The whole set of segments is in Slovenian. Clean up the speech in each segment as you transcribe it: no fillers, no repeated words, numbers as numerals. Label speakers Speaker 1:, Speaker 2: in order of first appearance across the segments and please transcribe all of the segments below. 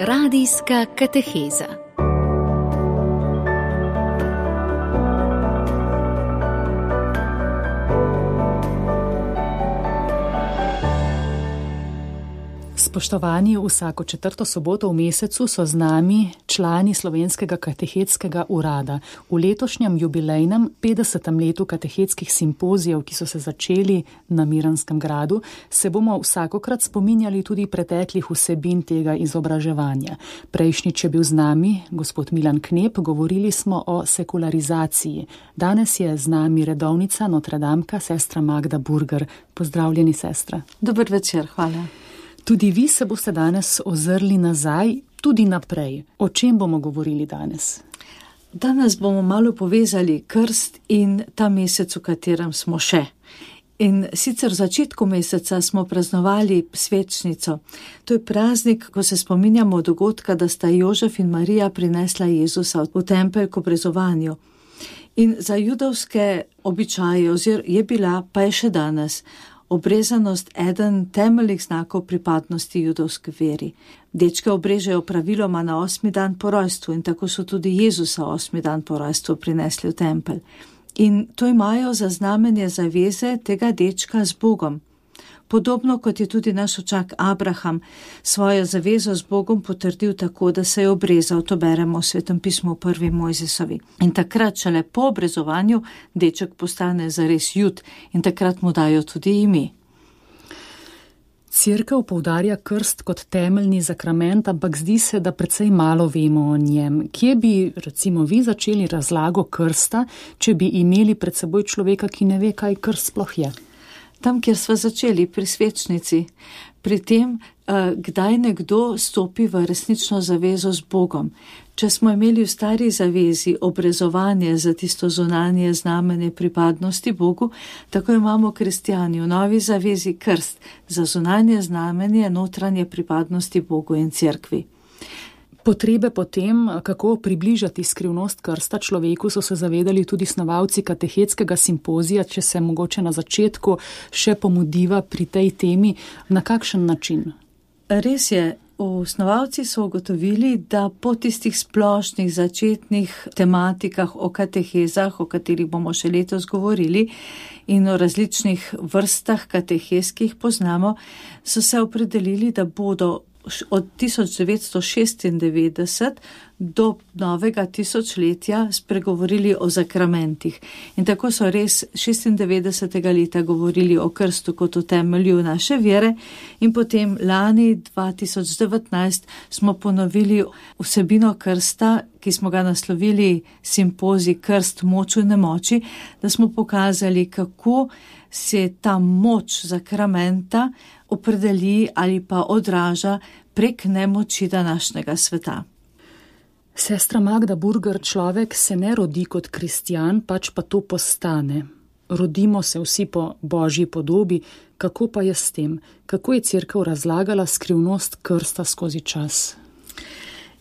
Speaker 1: Radijska kateheza. Spoštovani, vsako četrto soboto v mesecu so z nami člani Slovenskega katehetskega urada. V letošnjem jubilejnem 50. letu katehetskih simpozijev, ki so se začeli na Miranskem gradu, se bomo vsakokrat spominjali tudi preteklih vsebin tega izobraževanja. Prejšnjič je bil z nami gospod Milan Knep, govorili smo o sekularizaciji. Danes je z nami redovnica Notredamka, sestra Magda Burger. Pozdravljeni, sestra.
Speaker 2: Dober večer, hvala.
Speaker 1: Tudi vi se boste danes ozrli nazaj, tudi naprej. O čem bomo govorili danes?
Speaker 2: Danes bomo malo povezali krst in ta mesec, v katerem smo še. In sicer v začetku meseca smo praznovali svečnico. To je praznik, ko se spominjamo dogodka, da sta Jožef in Marija prinesla Jezusa v tempelj k obrezovanju. In za judovske običaje je bila, pa je še danes, obrezanost eden temeljnih znakov pripadnosti judovski veri. Dečke obrežejo praviloma na 8. dan po rojstvu in tako so tudi Jezusa 8. dan po rojstvu prinesli v tempelj. In to imajo za znamenje zaveze tega dečka z Bogom. Podobno kot je tudi naš očak Abraham svojo zavezo z Bogom potrdil tako, da se je obrezal, to beremo v Svetem pismu v 1. Mojzesovi. In takrat šele po obrezovanju deček postane zares Jud in takrat mu dajo tudi ime.
Speaker 1: Cerkev poudarja krst kot temeljni zakrament, ampak zdi se, da precej malo vemo o njem. Kje bi, recimo, vi začeli razlago krsta, če bi imeli pred seboj človeka, ki ne ve, kaj krst sploh je?
Speaker 2: Tam, kjer sva začeli, pri svečnici, pri tem, kdaj nekdo stopi v resnično zavezo z Bogom. Če smo imeli v stari zavezi obrezovanje za tisto zunanje znamenje pripadnosti Bogu, tako imamo kristjani v novi zavezi krst za zunanje znamenje notranje pripadnosti Bogu in cerkvi.
Speaker 1: Potrebe potem, kako približati skrivnost krsta človeku, so se zavedali tudi snovalci katehetskega simpozija, če se mogoče na začetku še pomudiva pri tej temi, na kakšen način?
Speaker 2: Res je, snovalci so ugotovili, da po tistih splošnih začetnih tematikah o katehezah, o katerih bomo še letos govorili, in o različnih vrstah katehez, ki jih poznamo, so se opredelili, da bodo od 1996 do novega tisočletja spregovorili o zakramentih. In tako so res 96. leta govorili o krstu kot o temelju naše vere in potem lani 2019 smo ponovili vsebino krsta, ki smo ga naslovili simpozij Krst, moč v nemoči, da smo pokazali, kako se ta moč zakramenta opredeli ali pa odraža prek nemoči današnjega sveta.
Speaker 1: Sestra Magda Burger, človek se ne rodi kot kristjan, pač pa to postane. Rodimo se vsi po Božji podobi, kako pa je s tem? Kako je cerkev razlagala skrivnost krsta skozi čas?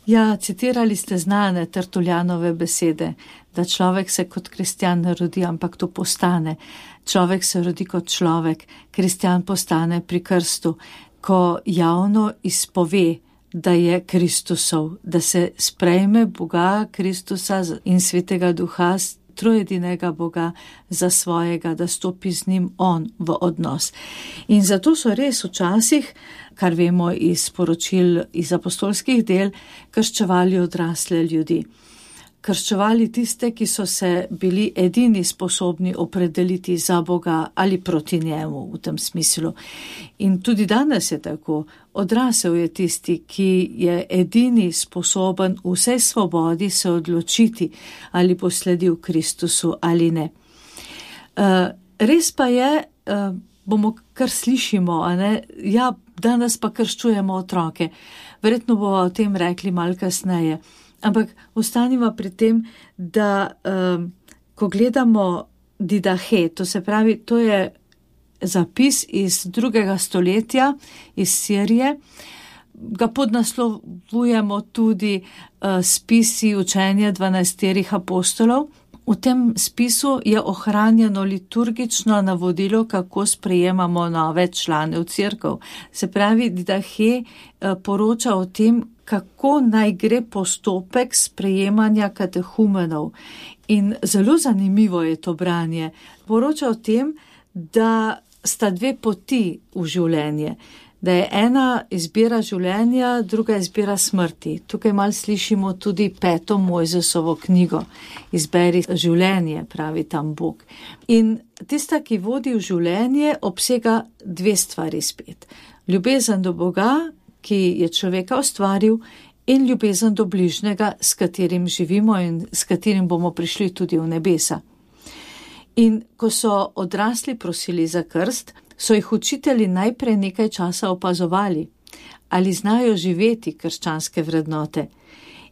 Speaker 2: Ja, citirali ste znane Tertuljanove besede, da človek se kot kristjan ne rodi, ampak to postane. Človek se rodi kot človek, kristjan postane pri krstu, ko javno izpove, da je Kristusov, da se sprejme Boga, Kristusa in Svetega Duha, trojedinega Boga za svojega, da stopi z njim on v odnos. In zato so res včasih, kar vemo iz poročil iz apostolskih del, krščevali odrasle ljudi. Krščevali tiste, ki so se bili edini sposobni opredeliti za Boga ali proti njemu v tem smislu. In tudi danes je tako. Odrasel je tisti, ki je edini sposoben v vsej svobodi se odločiti, ali bo sledil Kristusu ali ne. Res pa je, bomo kar slišimo, a ne? Ja, danes pa krščujemo otroke. Verjetno bomo o tem rekli malo kasneje. Ampak ostanimo pri tem, da ko gledamo Didahe, to se pravi, to je zapis iz 2. stoletja iz Sirije, ga podnaslovujemo tudi spisi učenja 12 apostolov. V tem spisu je ohranjeno liturgično navodilo, kako sprejemamo nove člane v cerkev. Se pravi, Didahe poroča o tem, kako naj gre postopek sprejemanja katehumenov. In zelo zanimivo je to branje. Poroča o tem, da sta dve poti v življenje. Da je ena izbira življenja, druga izbira smrti. Tukaj malo slišimo tudi 5. Mojzesovo knjigo. Izberi življenje, pravi tam Bog. In tista, ki vodi v življenje, obsega dve stvari spet. Ljubezen do Boga, ki je človeka ustvaril, in ljubezen do bližnjega, s katerim živimo in s katerim bomo prišli tudi v nebesa. In ko so odrasli prosili za krst, so jih učitelji najprej nekaj časa opazovali, ali znajo živeti krščanske vrednote.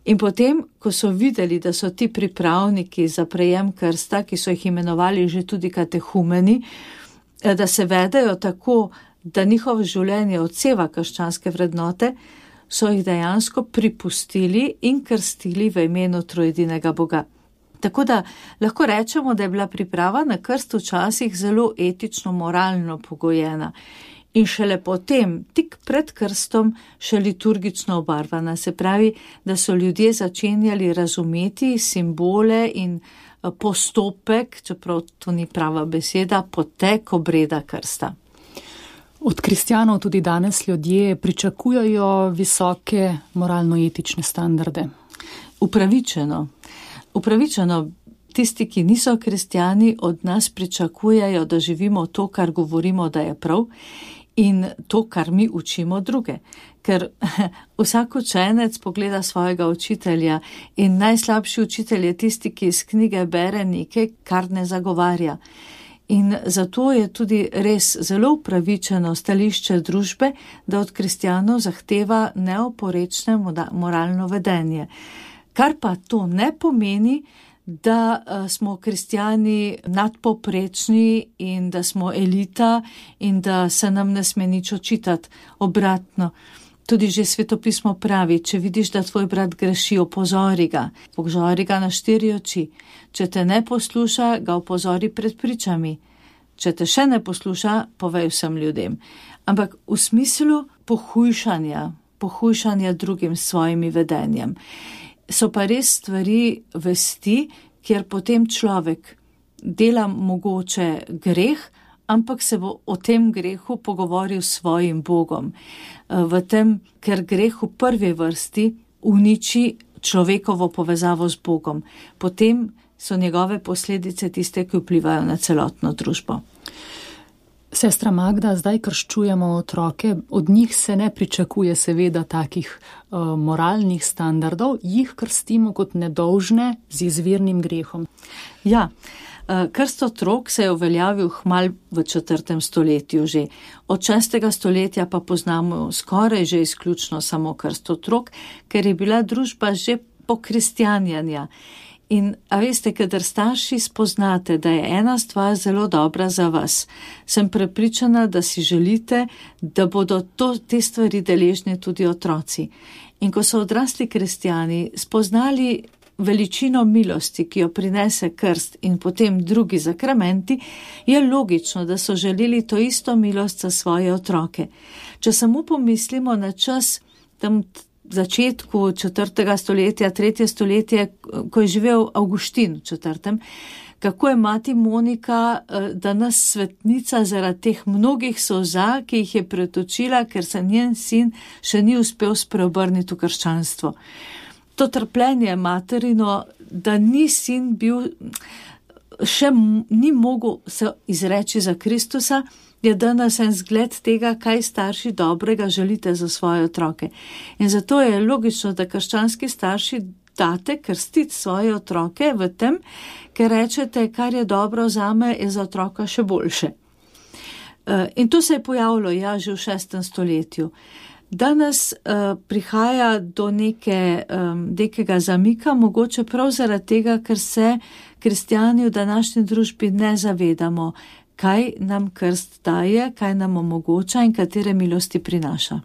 Speaker 2: In potem, ko so videli, da so ti pripravniki za prejem krsta, ki so jih imenovali že tudi katehumeni, da se vedejo tako, da njihovo življenje odseva krščanske vrednote, so jih dejansko pripustili in krstili v imenu trojedinega Boga. Tako da lahko rečemo, da je bila priprava na krst včasih zelo etično-moralno pogojena in šele potem, tik pred krstom, še liturgično obarvana. Se pravi, da so ljudje začenjali razumeti simbole in postopek, čeprav to ni prava beseda, potek obreda krsta.
Speaker 1: Od kristjanov tudi danes ljudje pričakujejo visoke moralno-etične standarde. Upravičeno, tisti, ki niso kristjani, od nas pričakujejo, da živimo to, kar govorimo, da je prav, in to, kar mi učimo druge. Ker vsak učenec pogleda svojega učitelja in najslabši učitelj je tisti, ki iz knjige bere nekaj, kar ne zagovarja. In zato je tudi res zelo upravičeno stališče družbe, da od kristjanov zahteva neoporečne moralno vedenje. Kar pa to ne pomeni, da smo kristjani nadpoprečni in da smo elita in da se nam ne sme nič očitati. Obratno, tudi že svetopismo pravi, če vidiš, da tvoj brat greši, opozori ga na 4 oči. Če te ne posluša, ga opozori pred pričami. Če te še ne posluša, povej vsem ljudem. Ampak v smislu pohujšanja drugim s svojimi vedenjem. So pa res stvari vesti, kjer potem človek dela mogoče greh, ampak se bo o tem grehu pogovoril s svojim Bogom. V tem, ker greh v prvi vrsti uniči človekovo povezavo z Bogom. Potem so njegove posledice tiste, ki vplivajo na celotno družbo. Sestra Magda, zdaj krščujemo otroke, od njih se ne pričakuje seveda takih moralnih standardov, jih krstimo kot nedolžne z izvirnim grehom.
Speaker 2: Ja, krst otrok se je uveljavil hmal v 4. stoletju že. Od 6. stoletja pa poznamo skoraj že izključno samo krst otrok, ker je bila družba že pokristjanjanja. In a veste, kadar starši spoznate, da je ena stvar zelo dobra za vas, sem prepričana, da si želite, da bodo te stvari deležni tudi otroci. In ko so odrasli kristjani spoznali veličino milosti, ki jo prinese krst in potem drugi zakramenti, je logično, da so želeli to isto milost za svoje otroke. Če samo pomislimo na čas tam začetku 4. stoletja, 3. stoletje, ko je živel Avguštin v 4., kako je mati Monika, danes svetnica zaradi teh mnogih solza, ki jih je pretočila, ker se njen sin še ni uspel spreobrniti v krščanstvo. To trpljenje materino, da ni sin bil, še ni mogel se izreči za Kristusa, je danes en zgled tega, kaj starši dobrega želite za svoje otroke. In zato je logično, da krščanski starši date krstiti svoje otroke v tem, ker rečete, kar je dobro zame, je za otroka še boljše. In to se je pojavilo, že v 6. stoletju. Danes prihaja do nekega zamika, mogoče prav zaradi tega, ker se kristjani v današnji družbi ne zavedamo, kaj nam krst daje, kaj nam omogoča in katere milosti prinaša.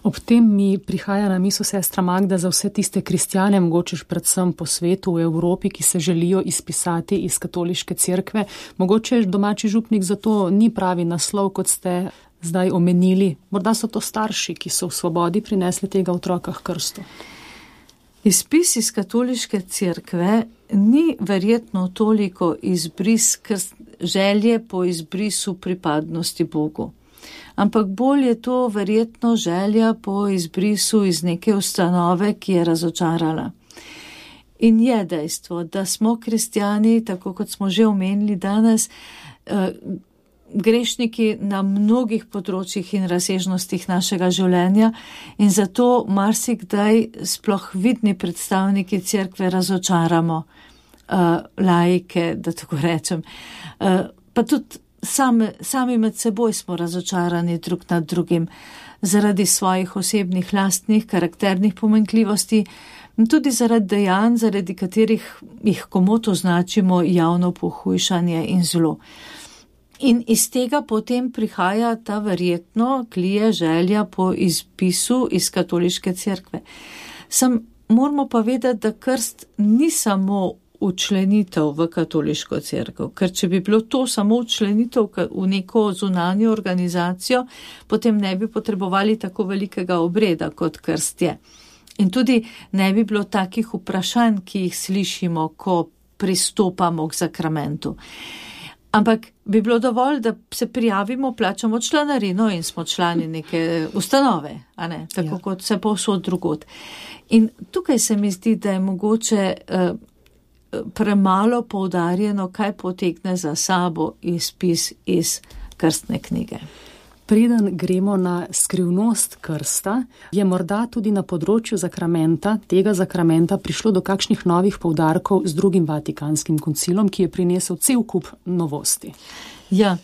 Speaker 1: Ob tem mi prihaja na misel, sestra Magda, za vse tiste kristjane, mogoče predvsem po svetu, v Evropi, ki se želijo izpisati iz katoliške cerkve. Mogoče domači župnik za to ni pravi naslov, kot ste zdaj omenili. Morda so to starši, ki so v svobodi prinesli tega otroka k krstu.
Speaker 2: Izpis iz katoliške cerkve ni verjetno toliko izbris želje po izbrisu pripadnosti Bogu. Ampak bolj je to verjetno želja po izbrisu iz neke ustanove, ki je razočarala. In je dejstvo, da smo kristjani, tako kot smo že omenili danes, grešniki na mnogih področjih in razsežnostih našega življenja in zato marsikdaj sploh vidni predstavniki cerkve razočaramo laike, da tako rečem. Pa tudi sami med seboj smo razočarani drug nad drugim zaradi svojih osebnih, lastnih, karakternih pomanjkljivosti in tudi zaradi dejanj, zaradi katerih jih komot označimo javno pohujšanje in zlo. In iz tega potem prihaja ta verjetno klije želja po izpisu iz katoliške cerkve. Moramo pa vedeti, da krst ni samo učlenitev v katoliško cerkev, ker če bi bilo to samo učlenitev v neko zunanjo organizacijo, potem ne bi potrebovali tako velikega obreda, kot krst je. In tudi ne bi bilo takih vprašanj, ki jih slišimo, ko pristopamo k sakramentu. Ampak bi bilo dovolj, da se prijavimo, plačamo članarino in smo člani neke ustanove, a ne? Tako kot se povsod drugod. In tukaj se mi zdi, da je mogoče premalo poudarjeno, kaj potegne za sabo izpis iz krstne knjige.
Speaker 1: Preden gremo na skrivnost krsta, je morda tudi na področju tega zakramenta prišlo do kakšnih novih poudarkov z drugim Vatikanskim koncilom, ki je prinesel cel kup novosti.
Speaker 2: Ja,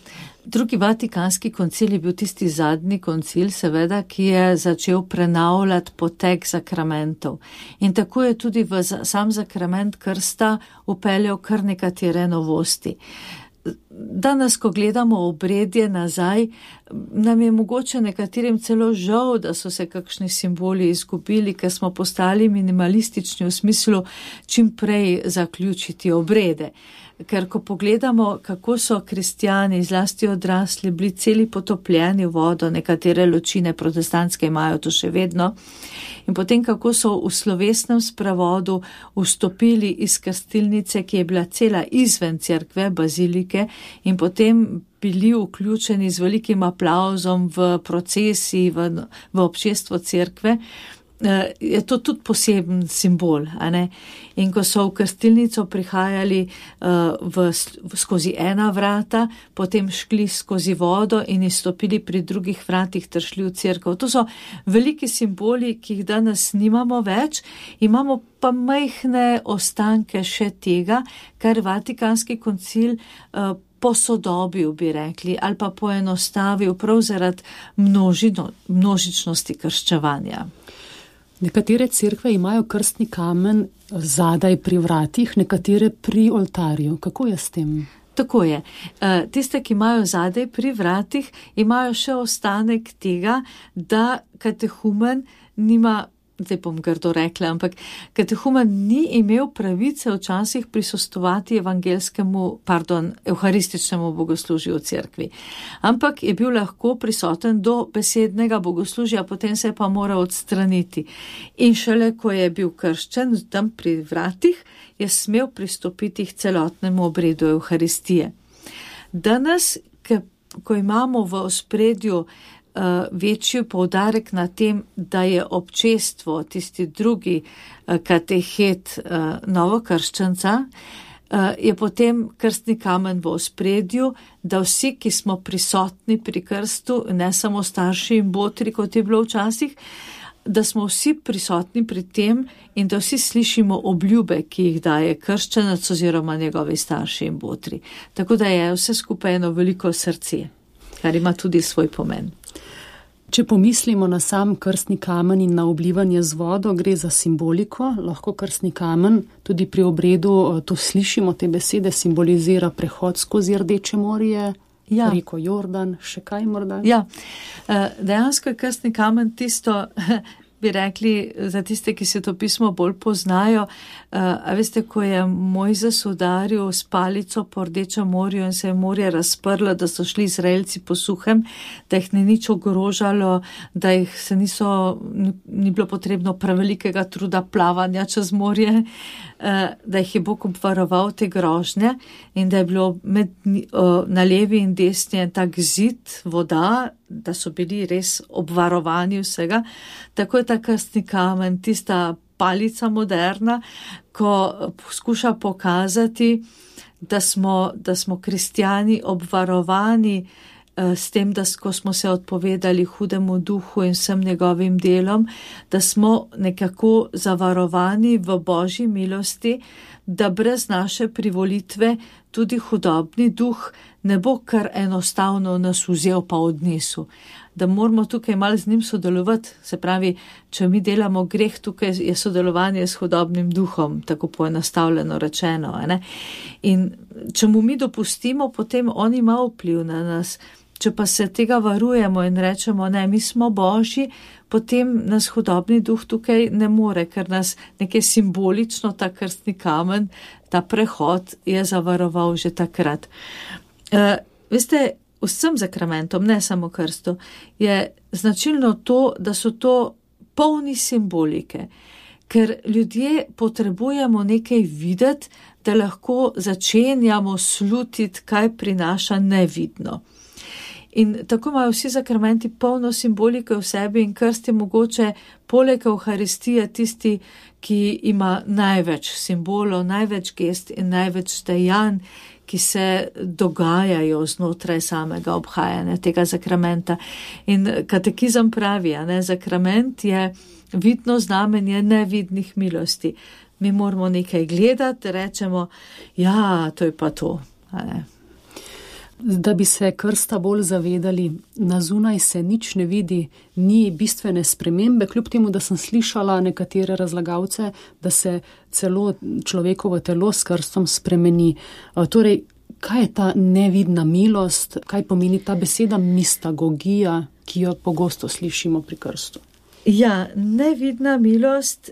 Speaker 2: drugi Vatikanski koncil je bil tisti zadnji koncil, seveda, ki je začel prenavljati potek sakramentov. In tako je tudi v sam sakrament krsta upeljal kar nekatere novosti. Danes, ko gledamo obredje nazaj, nam je mogoče nekaterim celo žal, da so se kakšni simboli izgubili, ker smo postali minimalistični v smislu čim prej zaključiti obrede. Ker ko pogledamo, kako so kristjani, zlasti odrasli, bili celi potopljeni v vodo, nekatere ločine protestantske imajo to še vedno, in potem kako so v slovesnem sprevodu vstopili iz krstilnice, ki je bila cela izven cerkve, bazilike, in potem bili vključeni z velikim aplavzom v procesiji, v občestvo cerkve, je to tudi poseben simbol, a ne? In ko so v krstilnico prihajali skozi ena vrata, potem šli skozi vodo in izstopili pri drugih vratih ter šli v cerkev. To so veliki simboli, ki jih danes nimamo več, imamo pa majhne ostanke še tega, kar Vatikanski koncil posodobil, bi rekli, ali pa poenostavil prav zaradi množičnosti krščevanja.
Speaker 1: Nekatere cerkve imajo krstni kamen zadaj pri vratih, nekatere pri oltarju. Kako je s tem?
Speaker 2: Tako je. Tiste, ki imajo zadaj pri vratih, imajo še ostanek tega, da katehumen nima, zdaj bom grdo rekla, ampak katehumen ni imel pravice včasih prisostovati evharističnemu bogoslužju v cerkvi. Ampak je bil lahko prisoten do besednega bogoslužja, potem se je pa moral odstraniti. In šele, ko je bil krščen tam pri vratih, je smel pristopiti k celotnemu obredu evharistije. Danes, ko imamo v ospredju večji poudarek na tem, da je občestvo, tisti drugi katehet novokrščanca, je potem krstni kamen v ospredju, da vsi, ki smo prisotni pri krstu, ne samo starši in botri, kot je bilo včasih, da smo vsi prisotni pri tem in da vsi slišimo obljube, ki jih daje krščenec oziroma njegovi starši in botri. Tako da je vse skupaj eno veliko srce, kar ima tudi svoj pomen.
Speaker 1: Če pomislimo na sam krstni kamen in na oblivanje z vodo, gre za simboliko. Lahko krstni kamen tudi pri obredu, to slišimo, te besede, simbolizira prehod skozi Rdeče morje. Ja. Reko Jordan, še kaj morda?
Speaker 2: Ja, dejansko je krstni kamen tisto, bi rekli, za tiste, ki se to pismo bolj poznajo. A veste, ko je Mojzes udaril s palico po Rdečem morju in se je morje razprlo, da so šli Izraelci po suhem, da jih ni nič ogrožalo, da jih se ni bilo potrebno prevelikega truda plavanja čez morje, da jih je Bog obvaroval te grožnje in da je bilo na levi in desni tak zid voda, da so bili res obvarovani vsega. Tako je ta krstni kamen, tista palica moderna, ko poskuša pokazati, da smo kristjani obvarovani s tem, da ko smo se odpovedali hudemu duhu in vsem njegovim delom, da smo nekako zavarovani v Božji milosti, da brez naše privolitve tudi hudobni duh ne bo kar enostavno nas vzel pa odnesel. Da moramo tukaj malo z njim sodelovati, se pravi, če mi delamo greh, tukaj je sodelovanje s hudobnim duhom, tako poenostavljeno rečeno. Ne? In če mu mi dopustimo, potem on ima vpliv na nas. Če pa se tega varujemo in rečemo, ne, mi smo Božji, potem nas hudobni duh tukaj ne more, ker nas nekaj simbolično, ta krstni kamen, ta prehod je zavaroval že takrat. Veste, vsem sakramentom, ne samo krstu, je značilno to, da so to polni simbolike, ker ljudje potrebujemo nekaj videti, da lahko začenjamo slutiti, kaj prinaša nevidno. In tako imajo vsi sakramenti polno simbolike v sebi in krst je mogoče poleg Evharistije tisti, ki ima največ simbolov, največ gest in največ dejanj, ki se dogajajo znotraj samega obhajanja tega sakramenta. In katekizem pravi, sakrament je vidno znamenje nevidnih milosti. Mi moramo nekaj gledati, rečemo, ja, to je pa to.
Speaker 1: Da bi se krsta bolj zavedali, na zunaj se nič ne vidi, ni bistvene spremembe, kljub temu, da sem slišala nekatere razlagalce, da se celo človekovo telo s krstom spremeni. Torej, kaj je ta nevidna milost, kaj pomeni ta beseda mistagogija, ki jo pogosto slišimo pri krstu?
Speaker 2: Ja, nevidna milost,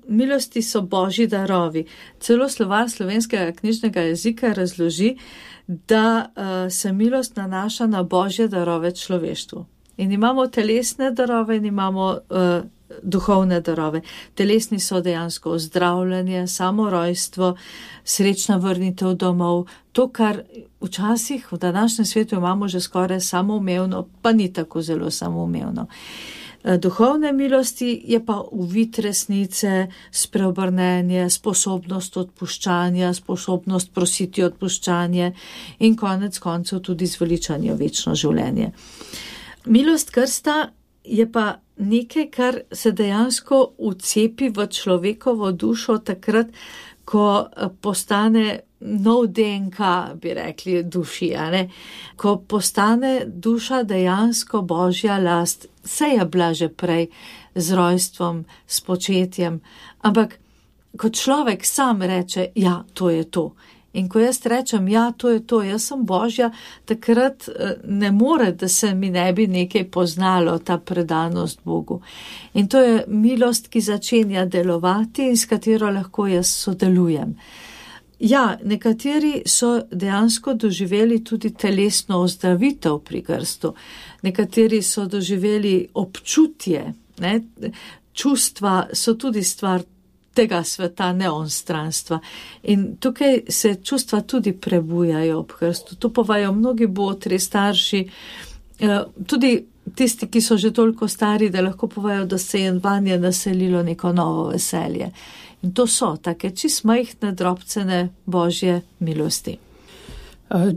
Speaker 2: milosti so Božji darovi. Celo slovar slovenskega knjižnega jezika razloži, da se milost nanaša na Božje darove človeštvu. In imamo telesne darove in imamo duhovne darove. Telesni so dejansko ozdravljanje, samorojstvo, srečna vrnitev domov, to, kar včasih v današnjem svetu imamo že skoraj samoumevno, pa ni tako zelo samoumevno. Duhovne milosti je pa uvid resnice, spreobrnenje, sposobnost odpuščanja, sposobnost prositi odpuščanje in konec koncev tudi zveličanje v večno življenje. Milost krsta je pa nekaj, kar se dejansko vcepi v človekovo dušo takrat, ko postane nov DNK, bi rekli, duši, ko postane duša dejansko Božja last. Vse je bila že prej z rojstvom, s početjem, ampak ko človek sam reče, ja, to je to. In ko jaz rečem, ja, to je to, jaz sem Božja, takrat ne more, da se mi ne bi nekaj poznalo, ta predanost Bogu. In to je milost, ki začenja delovati in s katero lahko jaz sodelujem. Ja, nekateri so dejansko doživeli tudi telesno ozdravitev pri krstu. Nekateri so doživeli občutje, čustva so tudi stvar tega sveta, ne onstranstva. In tukaj se čustva tudi prebujajo ob krstu. To povajo mnogi botri, starši, tudi tisti, ki so že toliko stari, da lahko povajo, da se je vanje naselilo neko novo veselje. In to so take čist majhne, drobcene Božje milosti.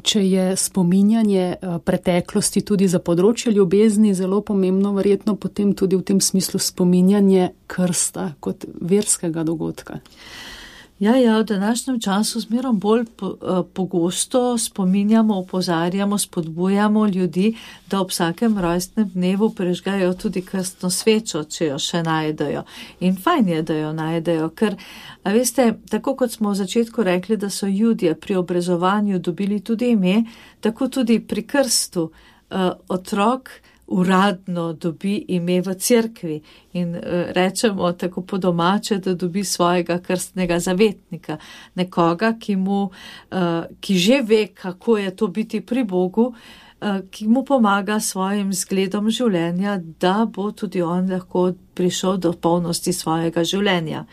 Speaker 1: Če je spominjanje preteklosti tudi za področje ljubezni zelo pomembno, verjetno potem tudi v tem smislu spominjanje krsta kot verskega dogodka.
Speaker 2: Ja, v današnjem času zmerom bolj pogosto spominjamo, opozarjamo, spodbujamo ljudi, da ob vsakem rojstnem dnevu prižgajo tudi krstno svečo, če jo še najdejo. In fajn je, da jo najdejo, ker, a veste, tako kot smo v začetku rekli, da so Judje pri obrezovanju dobili tudi ime, tako tudi pri krstu otrok uradno dobi ime v cerkvi in rečemo tako po domače, da dobi svojega krstnega zavetnika, nekoga, ki že ve, kako je to biti pri Bogu, ki mu pomaga svojim zgledom življenja, da bo tudi on lahko prišel do polnosti svojega življenja.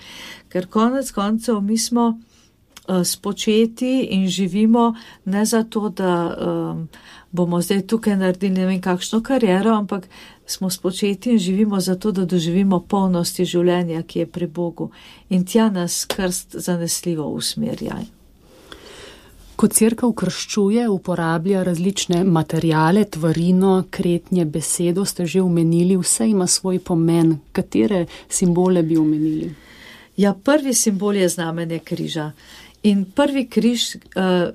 Speaker 2: Ker konec koncev mi smo spočeti in živimo ne zato, da bomo zdaj tukaj naredili ne vem kakšno kariero, ampak smo spočeti in živimo zato, da doživimo polnosti življenja, ki je pri Bogu. In tja nas krst zanesljivo usmerja.
Speaker 1: Ko cerkev krščuje, uporablja različne materiale, tvarino, kretnje, besedo, ste že omenili, vse ima svoj pomen. Katere simbole bi omenili?
Speaker 2: Ja, prvi simbol je znamenje križa. In prvi križ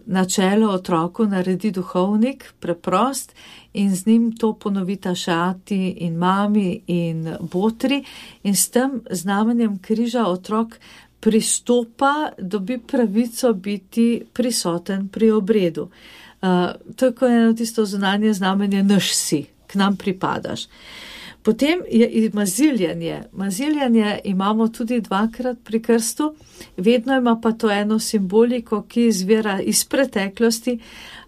Speaker 2: na čelo otroku naredi duhovnik, preprost, in z njim to ponovita še ati in mami in botri. In s tem znamenjem križa otrok pristopa, dobi pravico biti prisoten pri obredu. To je kot eno tisto zunanje znamenje, naš si, k nam pripadaš. Potem je maziljenje. Maziljenje imamo tudi dvakrat pri krstu, vedno ima pa to eno simboliko, ki izvira iz preteklosti.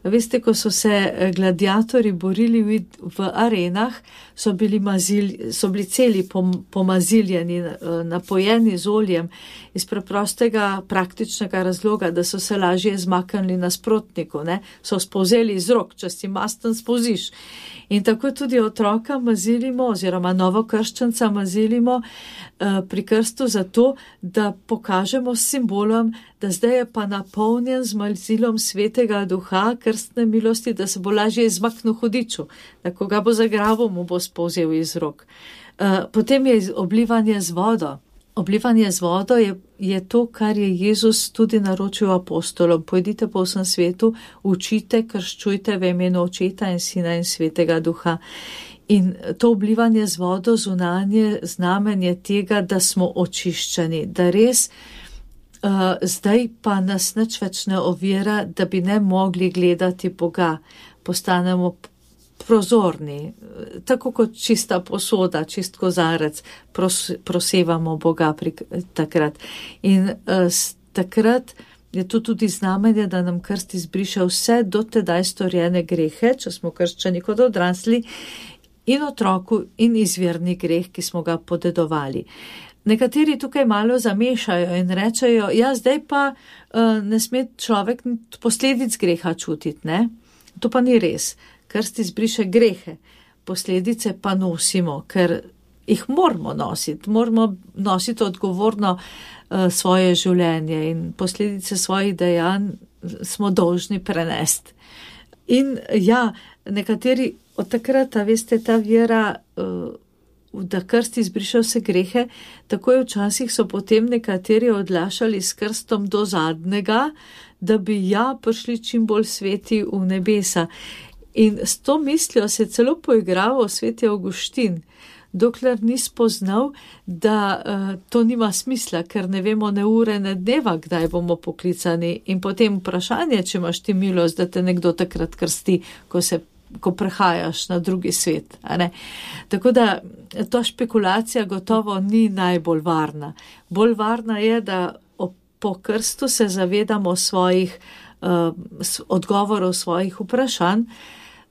Speaker 2: Veste, ko so se gladiatorji borili v arenah, so bili celi pomaziljeni, napojeni z oljem iz preprostega praktičnega razloga, da so se lažje zmaknili nasprotniku, ne? So spolzeli iz rok, če si masten spolziš. In tako tudi otroka mazilimo oziroma novokrščenca mazilimo pri krstu zato, da pokažemo s simbolom, da zdaj je pa napolnjen z mazilom svetega duha, krstne milosti, da se bo lažje izmaknil hudiču, da ko ga bo zagrabil, mu bo spolzel iz rok. Potem je oblivanje z vodo. Oblivanje z vodo je to, kar je Jezus tudi naročil apostolom. Pojdite po vsem svetu, učite, krščujte v imenu Očeta in Sina in Svetega Duha. In to oblivanje z vodo zunanje znamenje tega, da smo očiščeni, da res zdaj pa nas nič več ne ovira, da bi ne mogli gledati Boga. Postanemo prozorni, tako kot čista posoda, čist kozarec, prosevamo Boga takrat. In takrat je to tudi znamenje, da nam krst izbriše vse do tedaj storjene grehe, če smo krščani kot odrasli, in otroku in izvirni greh, ki smo ga podedovali. Nekateri tukaj malo zamešajo in rečejo, ja, zdaj pa ne sme človek posledic greha čutiti, ne? To pa ni res. Krst izbriše grehe, posledice pa nosimo, ker jih moramo nositi odgovorno svoje življenje in posledice svojih dejanj smo dolžni prenesti. In ja, nekateri od takrat, veste, ta vera, da krst izbriše vse grehe, tako je včasih so potem nekateri odlašali s krstom do zadnjega, da bi prišli čim bolj sveti v nebesa. In s to mislijo se celo poigraval sveti Avguštin, dokler ni spoznal, da to nima smisla, ker ne vemo ne ure, ne dneva, kdaj bomo poklicani. In potem vprašanje, če imaš ti milost, da te nekdo takrat krsti, ko prehajaš na drugi svet. Tako da ta špekulacija gotovo ni najbolj varna. Bolj varna je, da po krstu se zavedamo svojih odgovorov, svojih vprašanj,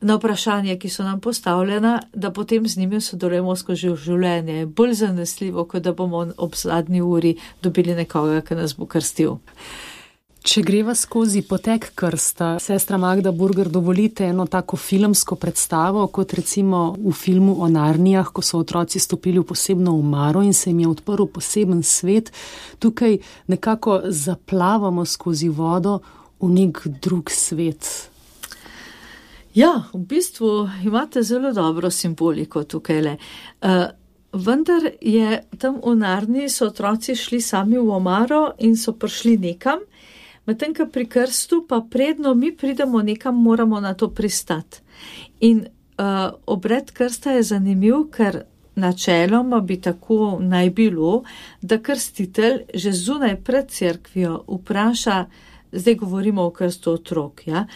Speaker 2: na vprašanje, ki so nam postavljena, da potem z njimi sodelujemo skozi življenje. Bolj zanesljivo, kot da bomo ob zadnji uri dobili nekoga, ki nas bo krstil.
Speaker 1: Če greva skozi potek krsta, sestra Magda Burger, dovolite eno tako filmsko predstavo, kot recimo v filmu o Narnijah, ko so otroci stopili v posebno omaro in se jim je odprl poseben svet. Tukaj nekako zaplavamo skozi vodo v nek drug svet.
Speaker 2: Ja, v bistvu imate zelo dobro simboliko tukaj. vendar je tam v Narni so otroci šli sami v omaro in so prišli nekam, medtem ko pri krstu pa predno mi pridemo nekam, moramo na to pristati. In obred krsta je zanimiv, ker načeloma bi tako naj bilo, da krstitelj že zunaj pred cerkvijo vpraša, zdaj govorimo o krstu otrok, ja,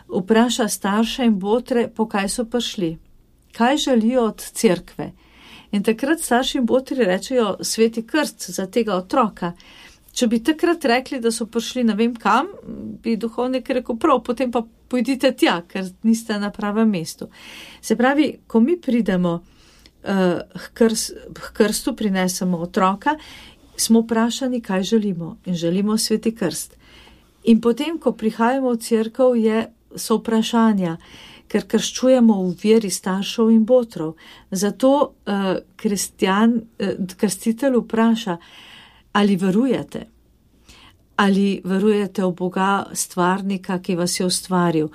Speaker 2: vpraša starše in botre, po kaj so prišli, kaj želijo od cerkve. In takrat starši in botri rečejo sveti krst za tega otroka. Če bi takrat rekli, da so prišli ne vem kam, bi duhovnik rekel prav, potem pa pojdite tja, ker niste na pravem mestu. Se pravi, ko mi pridemo k krstu, prinesemo otroka, smo vprašani, kaj želimo, in želimo sveti krst. In potem, ko prihajamo v cerkev, so vprašanja, ker krščujemo v veri staršev in botrov. Zato krstitelj vpraša, ali verujete? Ali verujete v Boga stvarnika, ki vas je ustvaril,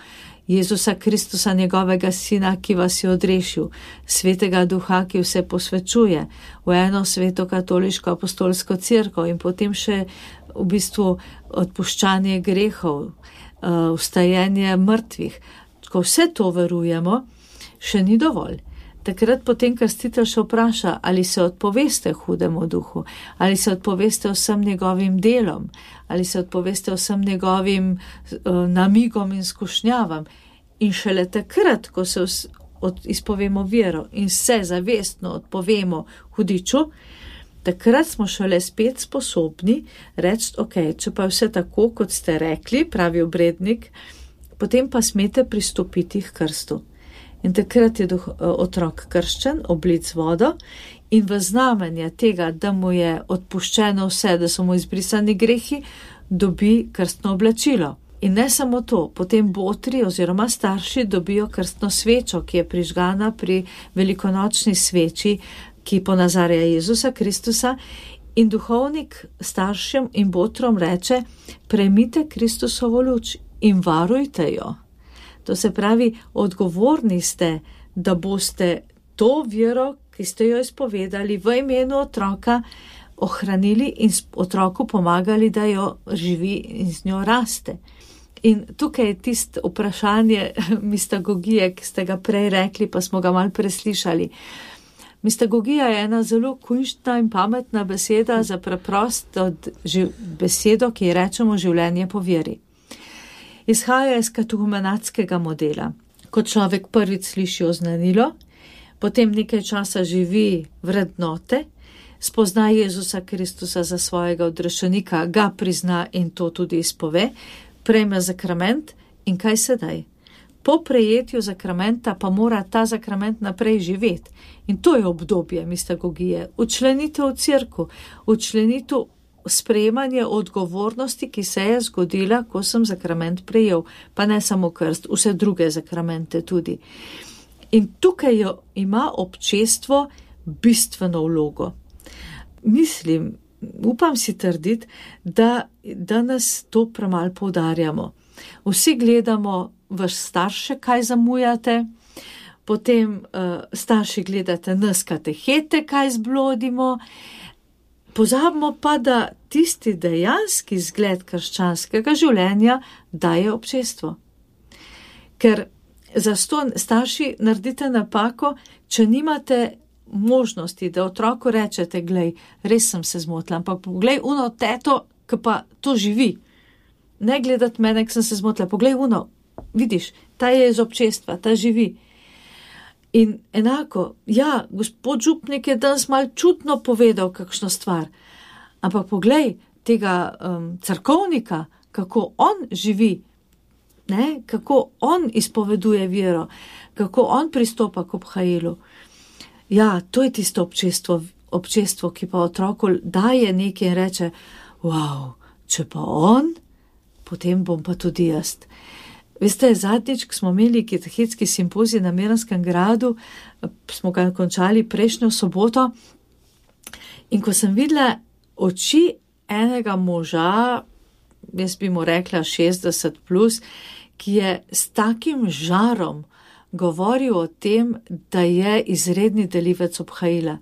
Speaker 2: Jezusa Kristusa, njegovega sina, ki vas je odrešil, svetega duha, ki vse posvečuje, v eno sveto katoliško apostolsko cerkev in potem še v bistvu odpuščanje grehov, vstajenje mrtvih. Ko vse to verujemo, še ni dovolj. Takrat potem krstitelj še vpraša, ali se odpoveste hudemu duhu, ali se odpoveste vsem njegovim delom, ali se odpoveste vsem njegovim namigom in skušnjavam. In šele takrat, ko se izpovemo vero in se zavestno odpovemo hudiču, takrat smo šele spet sposobni reči, ok, če pa vse tako, kot ste rekli, pravi obrednik, potem pa smete pristopiti k krstu. In takrat je otrok krščen, oblit z vodo in v znamenje tega, da mu je odpuščeno vse, da so mu izbrisani grehi, dobi krstno oblačilo. In ne samo to, potem botri oziroma starši dobijo krstno svečo, ki je prižgana pri velikonočni sveči, ki ponazarja Jezusa Kristusa, in duhovnik staršem in botrom reče, prejmite Kristusovo luč in varujte jo. To se pravi, odgovorni ste, da boste to vero, ki ste jo izpovedali v imenu otroka, ohranili in otroku pomagali, da jo živi in z njo raste. In tukaj je tisto vprašanje mistagogije, ki ste ga prej rekli, pa smo ga malo preslišali. Mistagogija je ena zelo kunštna in pametna beseda za preprosto besedo, ki ji rečemo življenje po veri. Izhaja iz katehumenatskega modela. Ko človek prvič sliši oznanilo, potem nekaj časa živi vrednote, spozna Jezusa Kristusa za svojega odrešenika, ga prizna in to tudi izpove, prejme zakrament in kaj sedaj? Po prejetju zakramenta pa mora ta zakrament naprej živeti. In to je obdobje mistagogije. Učlenitev v cerkev, učlenitev sprejemanje odgovornosti, ki se je zgodila, ko sem zakrament prejel, pa ne samo krst, vse druge zakramente tudi. In tukaj ima občestvo bistveno vlogo. Mislim, upam si trditi, da danes to premalo poudarjamo. Vsi gledamo vaš starše, kaj zamujate, potem starši gledate nas katehete, kaj zblodimo. Pozabimo pa, da tisti dejanski zgled krščanskega življenja daje občestvo. Ker zastonj starši naredite napako, če nimate možnosti, da otroku rečete, glej, res sem se zmotila, ampak poglej uno teto, ki pa to živi. Ne gledati mene, ki sem se zmotila, poglej uno, vidiš, ta je iz občestva, ta živi. In enako, ja, gospod župnik je danes malo čutno povedal kakšno stvar, ampak poglej tega cerkovnika, kako on živi, ne? Kako on izpoveduje vero, kako on pristopa k obhajilu. Ja, to je tisto občestvo, ki pa otroku daje nekaj in reče, wow, če pa on, potem bom pa tudi jaz. Veste, zadnjič, ko smo imeli katehetski simpozij na Miranskem gradu, smo ga končali prejšnjo soboto, in ko sem videla oči enega moža, jaz bi mu rekla 60+, ki je s takim žarom govoril o tem, da je izredni delivec obhajila.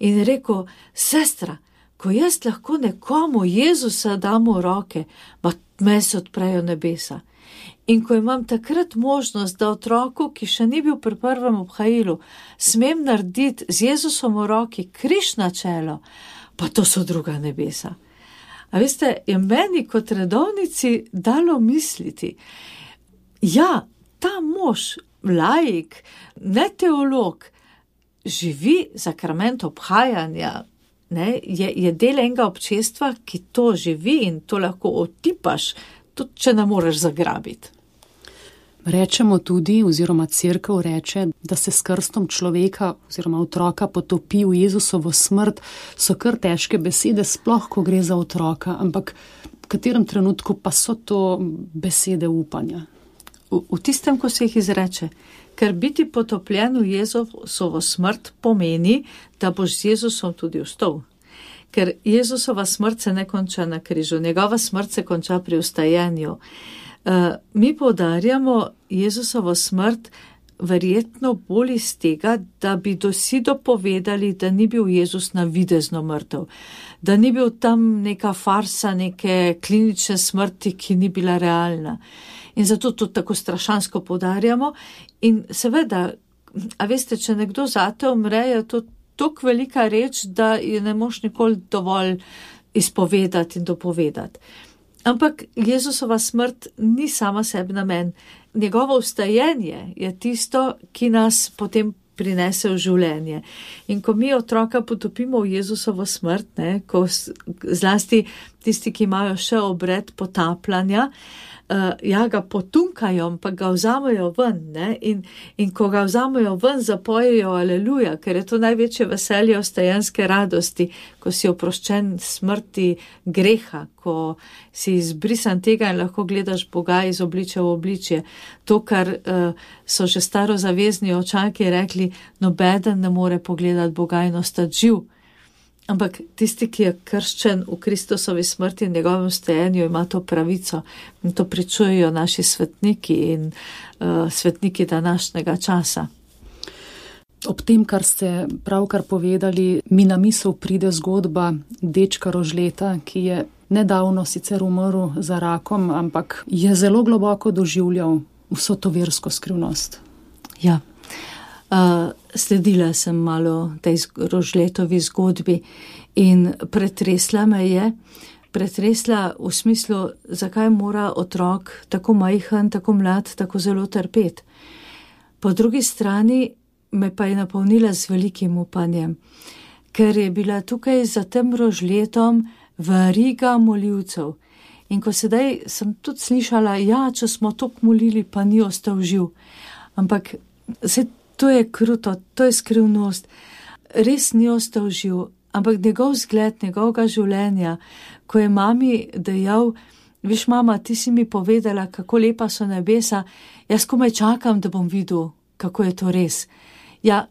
Speaker 2: In je rekel, sestra, ko jaz lahko nekomu Jezusa dam v roke, pa me se odprejo nebesa. In ko imam takrat možnost, da otroku, ki še ni bil pri prvem obhajilu, smem narediti z Jezusom v roki križ na čelo, pa to so druga nebesa. A veste, je meni kot redovnici dalo misliti, ja, ta mož, laik, ne teolog, živi sakrament obhajanja, ne, je del enega občestva, ki to živi in to lahko otipaš, tudi če ne moreš zagrabiti.
Speaker 1: Rečemo tudi, oziroma cerkev reče, da se s krstom človeka oziroma otroka potopi v Jezusovo smrt, so kar težke besede, sploh ko gre za otroka, ampak v katerem trenutku pa so to besede upanja?
Speaker 2: V tistem, ko se jih izreče, ker biti potopljen v Jezusovo smrt pomeni, da boš z Jezusom tudi vstal. Ker Jezusova smrt se ne konča na križu, njegova smrt se konča pri vstajenju. Mi poudarjamo Jezusovo smrt verjetno bolj iz tega, da bi vsi dopovedali, da ni bil Jezus navidezno mrtev, da ni bil tam neka farsa, neke klinične smrti, ki ni bila realna. In zato to tako strašansko poudarjamo. In seveda, a veste, če nekdo zate umre, je to tako velika reč, da je ne moš nikoli dovolj izpovedati in dopovedati. Ampak Jezusova smrt ni sama sebi namen. Njegovo vstajenje je tisto, ki nas potem prinese v življenje. In ko mi otroka potopimo v Jezusovo smrt, ne, ko zlasti tisti, ki imajo še obred potapljanja, ga potunkajo, pa ga vzamejo ven, ne, in ko ga vzamejo ven, zapojejo aleluja, ker je to največje veselje vstajenske radosti, ko si oproščen smrti greha, ko si izbrisan tega in lahko gledaš Boga iz obličja v obličje. To, kar so že starozavezni očaki rekli, nobeden ne more pogledati Boga in ostati živ. Ampak tisti, ki je krščen v Kristusovi smrti in njegovem vstajenju, ima to pravico. In to pričujejo naši svetniki in svetniki današnjega časa.
Speaker 1: Ob tem, kar ste pravkar povedali, mi na misel pride zgodba dečka Rožleta, ki je nedavno sicer umrl za rakom, ampak je zelo globoko doživljal vso to versko skrivnost.
Speaker 2: Ja. Sledila sem malo tej Rožletovi zgodbi in pretresla me je. Pretresla v smislu, zakaj mora otrok tako majhen, tako mlad, tako zelo trpeti. Po drugi strani me pa je napolnila z velikim upanjem, ker je bila tukaj za tem Rožletom veriga molivcev. In ko sedaj sem tudi slišala, če smo toliko molili, pa ni ostal živ. Ampak to je kruto, to je skrivnost. Res ni ostal živ, ampak njegov zgled, njegovega življenja, ko je mami dejal, viš mama, ti si mi povedala, kako lepa so nebesa, jaz komaj čakam, da bom videl, kako je to res. Ja,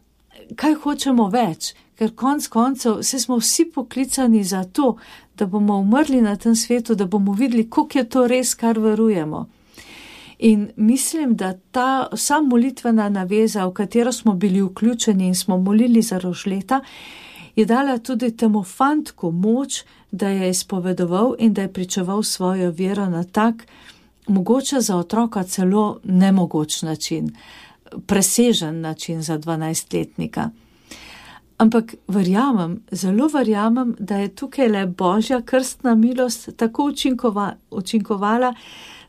Speaker 2: kaj hočemo več? Ker konc koncev, smo vsi poklicani za to, da bomo umrli na tem svetu, da bomo videli, koliko je to res, kar verujemo. In mislim, da ta vsa molitvena naveza, v katero smo bili vključeni in smo molili za Rožleta, je dala tudi temu fantku moč, da je izpovedoval in da je pričeval svojo vero na tak, mogoče za otroka celo nemogoč način, presežen način za 12-letnika. Ampak zelo verjamem, da je tukaj le Božja krstna milost tako učinkovala,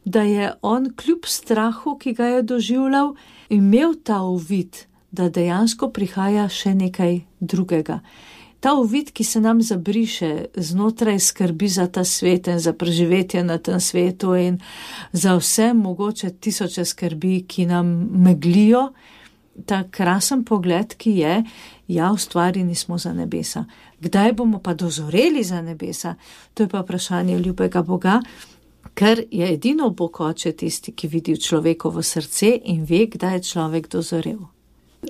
Speaker 2: da je on kljub strahu, ki ga je doživljal, imel ta uvid, da dejansko prihaja še nekaj drugega. Ta uvid, ki se nam zabriše znotraj skrbi za ta svet in za preživetje na tem svetu in za vse mogoče tisoče skrbi, ki nam meglijo, ta krasen pogled, ki je, ustvarjeni smo za nebesa. Kdaj bomo pa dozoreli za nebesa? To je pa vprašanje ljubega Boga, ker je edino Bog Oče tisti, ki vidi v človekovo srce in ve, kdaj je človek dozorel.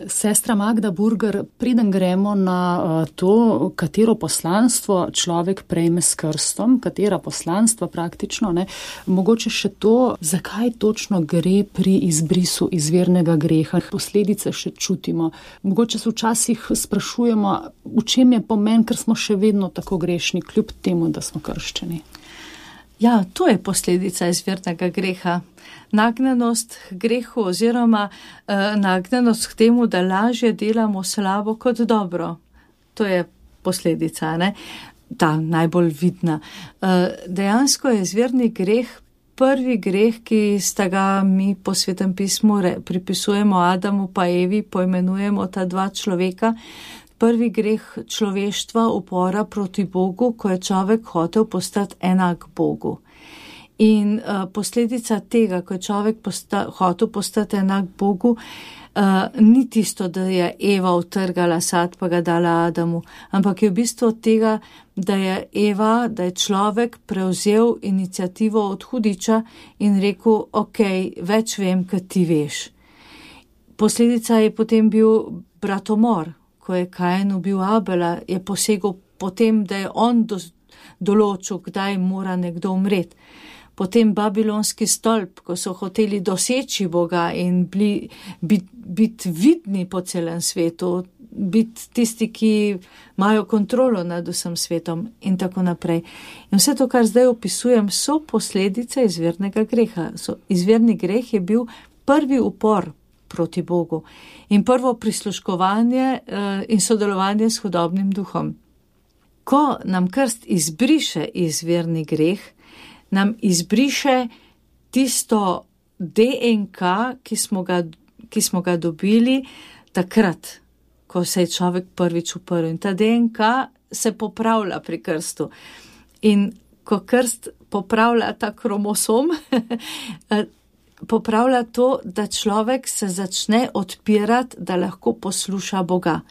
Speaker 1: Sestra Magda Burger, preden gremo na to, katero poslanstvo človek prejme s krstom, katera poslanstva praktično, ne, mogoče še to, zakaj točno gre pri izbrisu izvirnega greha. Posledice še čutimo. Mogoče se včasih sprašujemo, v čem je pomen, ker smo še vedno tako grešni, kljub temu, da smo krščeni.
Speaker 2: Ja, to je posledica izvirnega greha. Nagnjenost k grehu oziroma nagnjenost k temu, da lažje delamo slabo kot dobro. To je posledica, ne? Ta najbolj vidna. Dejansko je izvirni greh prvi greh, ki sta ga mi po Svetem pismu pripisujemo Adamu pa Evi, poimenujemo ta dva človeka. Prvi greh človeštva, upora proti Bogu, ko je človek hotel postati enak Bogu. In posledica tega, ko je človek hotel postati enak Bogu, ni tisto, da je Eva utrgala sad pa ga dala Adamu, ampak je v bistvu od tega, da je človek prevzel iniciativo od hudiča in rekel, ok, več vem, kot ti veš. Posledica je potem bil bratomor. Ko je Kain ubil Abela, je posegel potem, da je on določil, kdaj mora nekdo umreti. Potem babilonski stolp, ko so hoteli doseči Boga in biti vidni po celem svetu, biti tisti, ki imajo kontrolo nad vsem svetom in tako naprej. In vse to, kar zdaj opisujem, so posledice izvirnega greha. Izvirni greh je bil prvi upor proti Bogu in prvo prisluškovanje in sodelovanje s hudobnim duhom. Ko nam krst izbriše izvirni greh, nam izbriše tisto DNK, ki smo ga dobili takrat, ko se je človek prvič uprl. In ta DNK se popravlja pri krstu. In ko krst popravlja ta kromosom, popravlja to, da človek se začne odpirati, da lahko posluša Boga.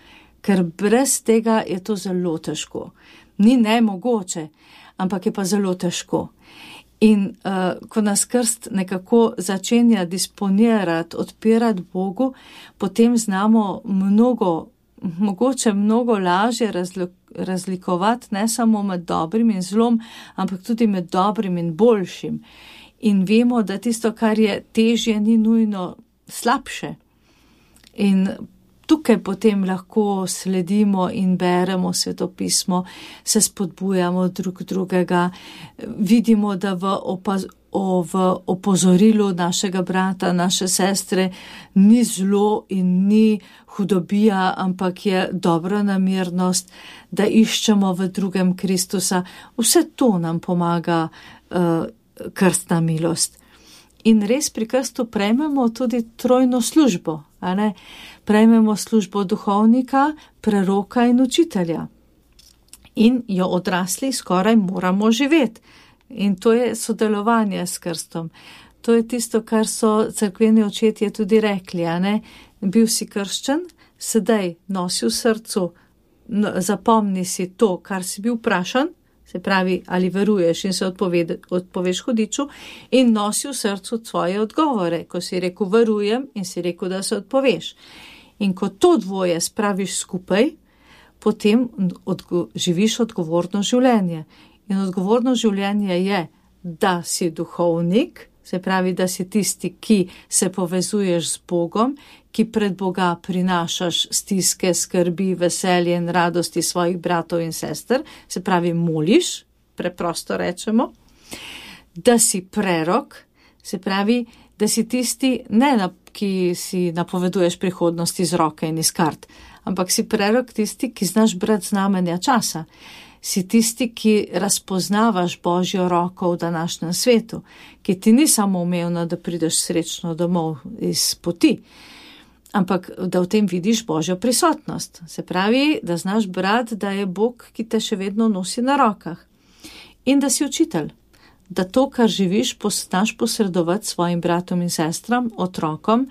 Speaker 2: Ker brez tega je to zelo težko. Ni nemogoče, ampak je pa zelo težko. In ko nas krst nekako začenja disponirati, odpirati Bogu, potem znamo mogoče mnogo lažje razlikovati ne samo med dobrim in zlom, ampak tudi med dobrim in boljšim. In vemo, da tisto, kar je težje, ni nujno slabše. In tukaj potem lahko sledimo in beremo svetopismo, se spodbujamo drug drugega, vidimo, da v opozorilu našega brata, naše sestre ni zlo in ni hudobija, ampak je dobra namernost, da iščemo v drugem Kristusa. Vse to nam pomaga krstna milost. In res pri krstu prejmemo tudi trojno službo, a ne? Prejmemo službo duhovnika, preroka in učitelja. In jo odrasli skoraj moramo živeti. In to je sodelovanje s krstom. To je tisto, kar so cerkveni očetje tudi rekli, a ne? Bil si krščen, sedaj nosi v srcu, zapomni si to, kar si bil vprašan, se pravi, ali veruješ in se odpoveš hudiču, in nosi v srcu tvoje odgovore, ko si rekel verujem in si rekel, da se odpoveš. In ko to dvoje spraviš skupaj, potem živiš odgovorno življenje. In odgovorno življenje je, da si duhovnik, se pravi, da si tisti, ki se povezuješ z Bogom, ki pred Boga prinašaš stiske, skrbi, veselje in radosti svojih bratov in sester, se pravi, moliš, preprosto rečemo, da si prerok, se pravi, da si tisti, ki si napoveduješ prihodnost iz roke in iz kart, ampak si prerok tisti, ki znaš brati znamenja časa. Si tisti, ki razpoznavaš Božjo roko v današnjem svetu, ki ti ni samo umevno, da prideš srečno domov iz poti, ampak da v tem vidiš Božjo prisotnost. Se pravi, da znaš brati, da je Bog, ki te še vedno nosi na rokah. In da si učitelj, da to, kar živiš, znaš posredovati svojim bratom in sestram, otrokom,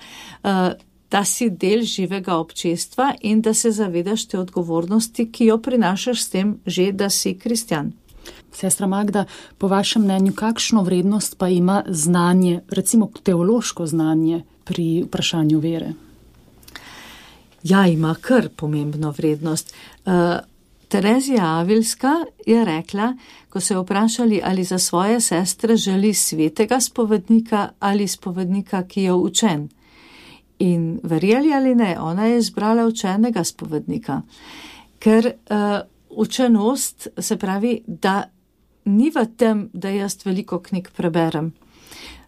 Speaker 2: da si del živega občestva in da se zavedaš te odgovornosti, ki jo prinašaš s tem že, da si kristjan.
Speaker 1: Sestra Magda, po vašem mnenju, kakšno vrednost pa ima znanje, recimo teološko znanje pri vprašanju vere?
Speaker 2: Ja, ima kar pomembno vrednost. Terezija Avilska je rekla, ko so jo vprašali, ali za svoje sestre želi svetega spovednika ali spovednika, ki je učen. In verjeli ali ne, ona je izbrala učenega spovednika, ker učenost se pravi, da ni v tem, da jaz veliko knjig preberem.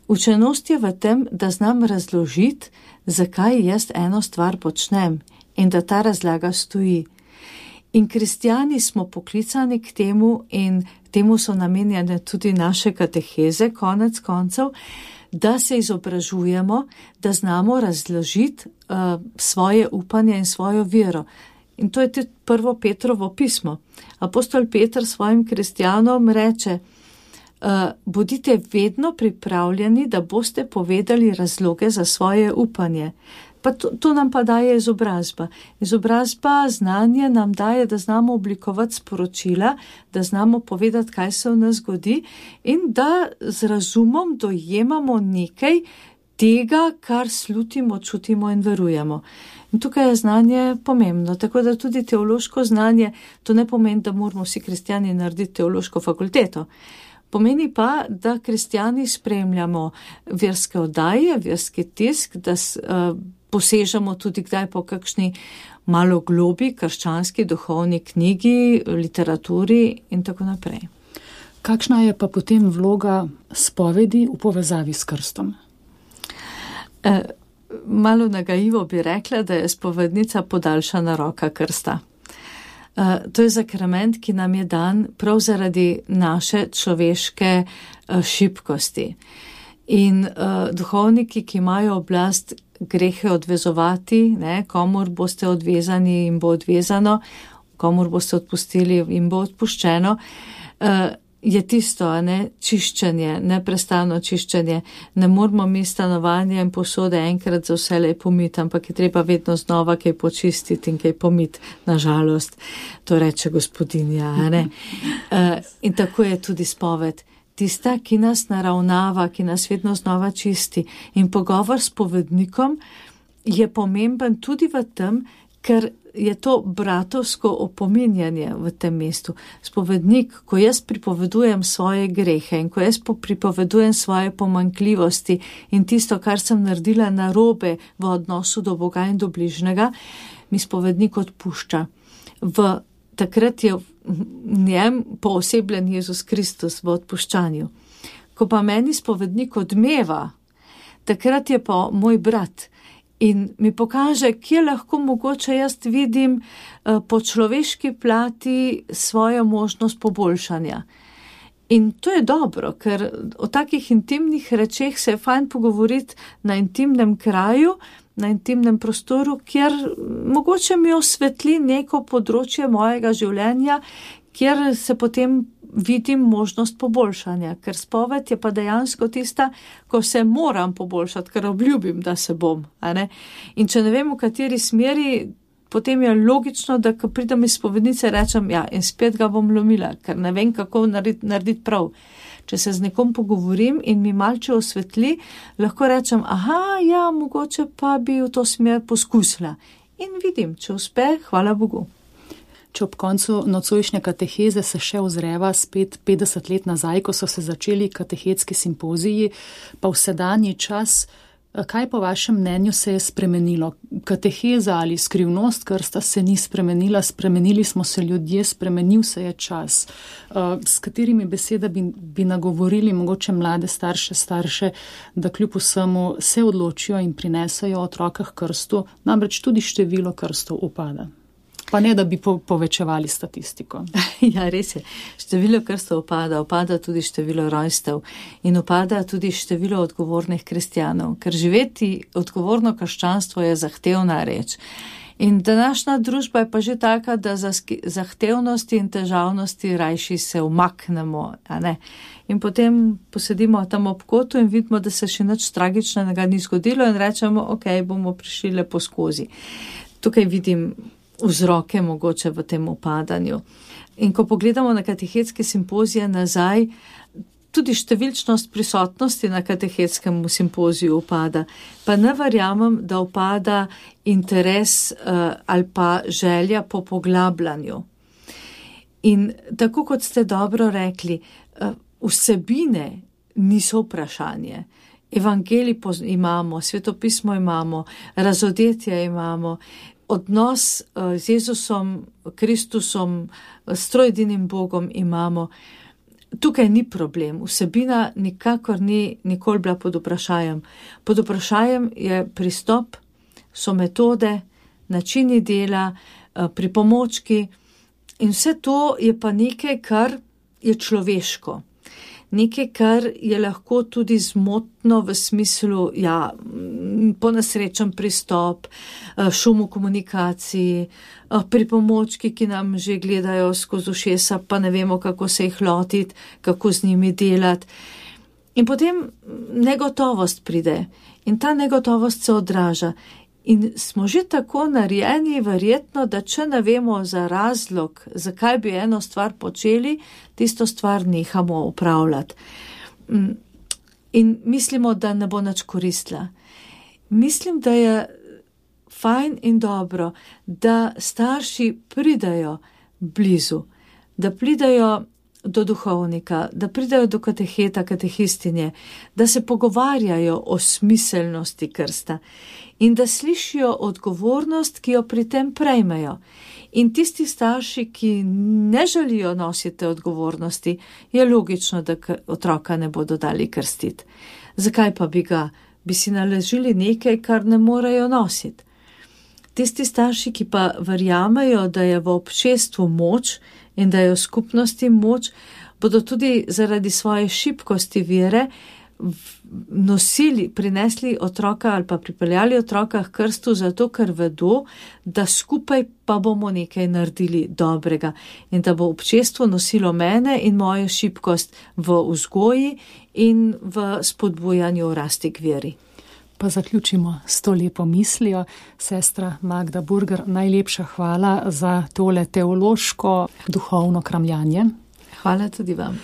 Speaker 2: Učenost je v tem, da znam razložiti, zakaj jaz eno stvar počnem in da ta razlaga stoji. In kristjani smo poklicani k temu in temu so namenjene tudi naše kateheze, konec koncev, da se izobražujemo, da znamo razložiti svoje upanje in svojo vero. In to je tudi prvo Petrovo pismo. Apostol Peter svojim kristjanom reče, bodite vedno pripravljeni, da boste povedali razloge za svoje upanje. Pa to nam pa daje izobrazba. Izobrazba, znanje nam daje, da znamo oblikovati sporočila, da znamo povedati, kaj se v nas zgodi in da z razumom dojemamo nekaj tega, kar slutimo, čutimo in verujemo. In tukaj je znanje pomembno, tako da tudi teološko znanje, to ne pomeni, da moramo vsi kristjani narediti teološko fakulteto. Pomeni pa, da kristjani spremljamo verske oddaje, verski tisk, da posežemo tudi kdaj po kakšni malo globi, krščanski, duhovni knjigi, literaturi in tako naprej.
Speaker 1: Kakšna je pa potem vloga spovedi v povezavi s krstom?
Speaker 2: Malo nagajivo bi rekla, da je spovednica podaljšana roka krsta. To je sakrament, ki nam je dan prav zaradi naše človeške šibkosti. In duhovniki, ki imajo oblast grehe odvezovati, komur boste odvezani, jim bo odvezano, komur boste odpustili, jim bo odpuščeno, je tisto, čiščenje, neprestano čiščenje. Ne moramo mi stanovanje in posode enkrat za vselej pomiti, ampak je treba vedno znova kaj počistiti in kaj pomiti, nažalost. To reče gospodinja, In tako je tudi spoved. Tista, ki nas naravnava, ki nas vedno znova čisti. In pogovor s spovednikom je pomemben tudi v tem, ker je to bratovsko opominjanje v tem mestu. Spovednik, ko jaz pripovedujem svoje grehe in ko jaz pripovedujem svoje pomanjkljivosti in tisto, kar sem naredila narobe v odnosu do Boga in do bližnjega, mi spovednik odpušča. Takrat je v njem poosebljen Jezus Kristus v odpuščanju. Ko pa meni spovednik odmeva, takrat je pa moj brat in mi pokaže, kje lahko mogoče jaz vidim po človeški plati svojo možnost poboljšanja. In to je dobro, ker o takih intimnih rečeh se je fajn pogovoriti na intimnem kraju, na intimnem prostoru, kjer mogoče mi osvetli neko področje mojega življenja, kjer se potem vidim možnost poboljšanja, ker spoved je pa dejansko tista, ko se moram poboljšati, ker obljubim, da se bom. In če ne vem, v kateri smeri, potem je logično, da ko pridem iz spovednice, rečem, in spet ga bom lomila, ker ne vem, kako narediti prav. Če se z nekom pogovorim in mi malce osvetli, lahko rečem, mogoče pa bi v to smer poskusila. In vidim, če uspe, hvala Bogu.
Speaker 1: Če ob koncu nocojšnje kateheze se še ozreva spet 50 let nazaj, ko so se začeli katehetski simpoziji, pa v sedanji čas, kaj po vašem mnenju se je spremenilo? Kateheza ali skrivnost krsta se ni spremenila, spremenili smo se ljudje, spremenil se je čas. S katerimi besedami bi nagovorili mogoče mlade starše, da kljub vsemu se odločijo in prinesajo otroka k krstu, namreč tudi število krstov upada. Pa ne, da bi povečevali statistiko.
Speaker 2: Ja, res je. Število krstov upada tudi število rojstev in upada tudi število odgovornih kristjanov, ker živeti odgovorno krščanstvo je zahtevna reč. In današnja družba je pa že taka, da za zahtevnosti in težavnosti rajši se umaknemo, In potem posedimo tam ob kotu in vidimo, da se še nič tragičnega ni zgodilo in rečemo, bomo prišli lepo skozi. Tukaj vidim vzroke mogoče v tem upadanju. In ko pogledamo na katehetske simpozije nazaj, tudi številčnost prisotnosti na katehetskem simpoziju upada. Pa ne verjamem, da upada interes ali pa želja po poglabljanju. In tako kot ste dobro rekli, vsebine niso vprašanje. Evangelij imamo, svetopismo imamo, razodetje imamo, odnos z Jezusom, Kristusom, s trojedinim Bogom imamo. Tukaj ni problem, vsebina nikakor ni nikoli bila pod vprašajem. Pod vprašajem je pristop, so metode, načini dela, pripomočki in vse to je pa nekaj, kar je človeško. Nekaj, kar je lahko tudi zmotno v smislu, ponesrečen pristop, šum v komunikaciji, pripomočki, ki nam že gledajo skozi ušesa, pa ne vemo, kako se jih lotiti, kako z njimi delati. In potem negotovost pride in ta negotovost se odraža. In smo že tako narejeni, verjetno, da če ne vemo za razlog, zakaj bi eno stvar počeli, tisto stvar nehamo upravljati. In mislimo, da ne bo nič koristila. Mislim, da je fajn in dobro, da starši pridajo blizu, da pridajo do duhovnika, da pridajo do kateheta, katehistinje, da se pogovarjajo o smiselnosti krsta in da slišijo odgovornost, ki jo pri tem prejmejo. In tisti starši, ki ne želijo nositi odgovornosti, je logično, da otroka ne bodo dali krstiti. Zakaj pa bi si naložili nekaj, kar ne morejo nositi? Tisti starši, ki pa verjamejo, da je v občestvu moč in da je v skupnosti moč, bodo tudi zaradi svoje šibkosti vere prinesli otroka ali pa pripeljali otroka k krstu zato, ker vedo, da skupaj pa bomo nekaj naredili dobrega in da bo občestvo nosilo mene in mojo šibkost v vzgoji in v spodbujanju rasti k veri.
Speaker 1: Pa zaključimo s to lepo mislijo. Sestra Magda Burger, najlepša hvala za tole teološko, duhovno kramljanje.
Speaker 2: Hvala tudi vam.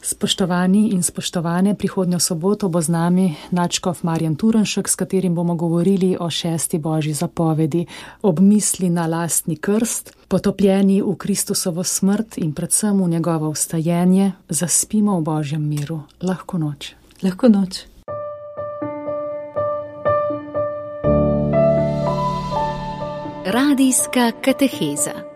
Speaker 1: Spoštovani in spoštovane, prihodnjo soboto bo z nami nadškof Marjan Turnšek, s katerim bomo govorili o 6. božji zapovedi, ob misli na lastni krst, potopljeni v Kristusovo smrt in predvsem v njegovo vstajenje, zaspimo v božjem miru. Lahko noč.
Speaker 2: Lahko noč.
Speaker 3: Radijska kateheza.